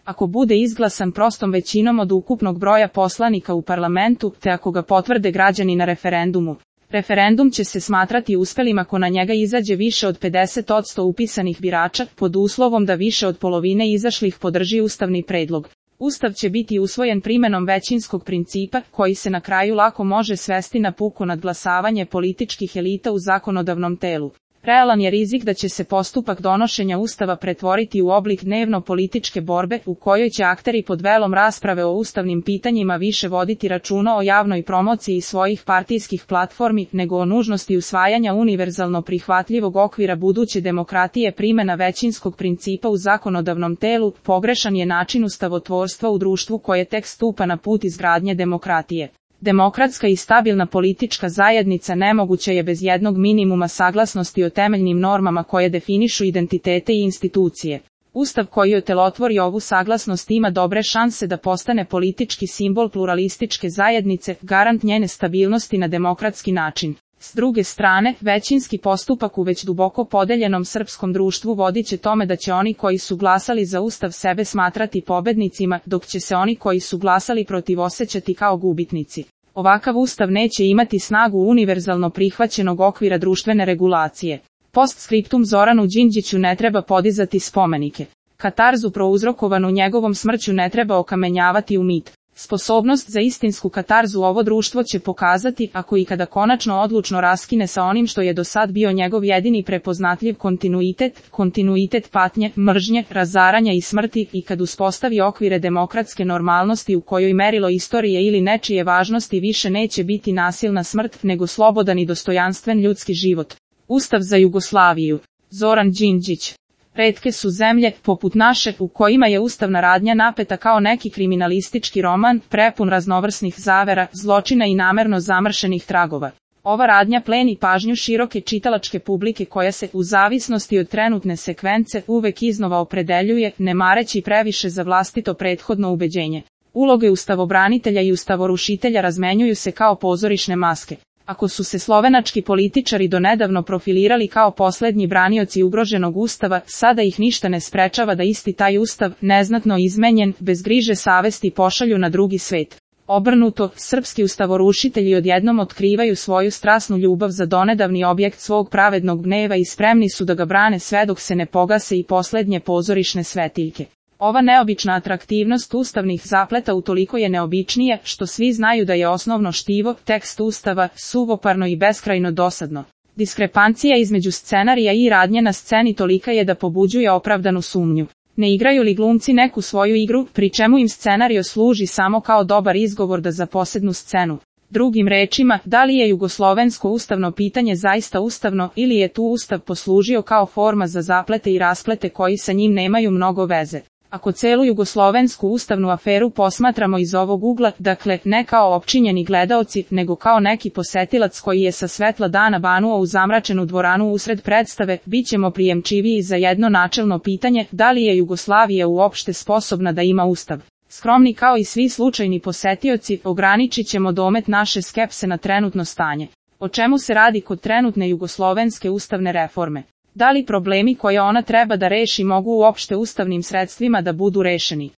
Ako bude izglasan prostom većinom od ukupnog broja poslanika u parlamentu, te ako ga potvrde građani na referendumu. Referendum će se smatrati uspelim ako na njega izađe više od 50% upisanih birača, pod uslovom da više od polovine izašlih podrži ustavni predlog. Ustav će biti usvojen primenom većinskog principa, koji se na kraju lako može svesti na puko nadglasavanje političkih elita u zakonodavnom telu. Realan je rizik da će se postupak donošenja Ustava pretvoriti u oblik dnevno-političke borbe, u kojoj će akteri pod velom rasprave o ustavnim pitanjima više voditi računa o javnoj promociji svojih partijskih platformi, nego o nužnosti usvajanja univerzalno prihvatljivog okvira buduće demokratije. Primjena većinskog principa u zakonodavnom telu pogrešan je način ustavotvorstva u društvu koje tek stupa na put izgradnje demokratije. Demokratska i stabilna politička zajednica nemoguća je bez jednog minimuma saglasnosti o temeljnim normama koje definišu identitete i institucije. Ustav koji otelotvori ovu saglasnost ima dobre šanse da postane politički simbol pluralističke zajednice, garant njene stabilnosti na demokratski način. S druge strane, većinski postupak u već duboko podeljenom srpskom društvu vodit će tome da će oni koji su glasali za Ustav sebe smatrati pobednicima, dok će se oni koji su glasali protiv osjećati kao gubitnici. Ovakav Ustav neće imati snagu univerzalno prihvaćenog okvira društvene regulacije. Postskriptum: Zoranu Đinđiću ne treba podizati spomenike. Katarzu prouzrokovanu njegovom smrću ne treba okamenjavati u mit. Sposobnost za istinsku katarzu ovo društvo će pokazati, ako i kada konačno odlučno raskine sa onim što je do sad bio njegov jedini prepoznatljiv kontinuitet patnje, mržnje, razaranja i smrti, i kad uspostavi okvire demokratske normalnosti u kojoj merilo istorije ili nečije važnosti više neće biti nasilna smrt, nego slobodan i dostojanstven ljudski život. Ustav za Jugoslaviju. Zoran Đinđić. Retke su zemlje, poput naše, u kojima je ustavna radnja napeta kao neki kriminalistički roman, prepun raznovrsnih zavera, zločina i namerno zamršenih tragova. Ova radnja pleni pažnju široke čitalačke publike koja se, u zavisnosti od trenutne sekvence, uvek iznova opredeljuje, ne mareći previše za vlastito prethodno ubeđenje. Uloge ustavobranitelja i ustavorušitelja razmenjuju se kao pozorišne maske. Ako su se slovenački političari donedavno profilirali kao poslednji branioci ugroženog ustava, sada ih ništa ne sprečava da isti taj ustav, neznatno izmenjen, bez griže savesti pošalju na drugi svet. Obrnuto, srpski ustavorušitelji odjednom otkrivaju svoju strasnu ljubav za donedavni objekt svog pravednog gneva i spremni su da ga brane sve dok se ne pogase i poslednje pozorišne svetiljke. Ova neobična atraktivnost ustavnih zapleta utoliko je neobičnije, što svi znaju da je osnovno štivo, tekst ustava, suvoparno i beskrajno dosadno. Diskrepancija između scenarija i radnje na sceni tolika je da pobuđuje opravdanu sumnju. Ne igraju li glumci neku svoju igru, pri čemu im scenario služi samo kao dobar izgovor da zaposednu scenu? Drugim rečima, da li je jugoslovensko ustavno pitanje zaista ustavno, ili je tu ustav poslužio kao forma za zaplete i rasplete koji sa njim nemaju mnogo veze? Ako celu jugoslovensku ustavnu aferu posmatramo iz ovog ugla, dakle, ne kao opčinjeni gledaoci, nego kao neki posetilac koji je sa svetla dana banuo u zamračenu dvoranu usred predstave, bit ćemo prijemčiviji za jedno načelno pitanje, da li je Jugoslavija uopšte sposobna da ima ustav. Skromni kao i svi slučajni posetioci, ograničit ćemo domet naše skepse na trenutno stanje. O čemu se radi kod trenutne jugoslovenske ustavne reforme? Da li problemi koje ona treba da reši mogu uopšte ustavnim sredstvima da budu rešeni?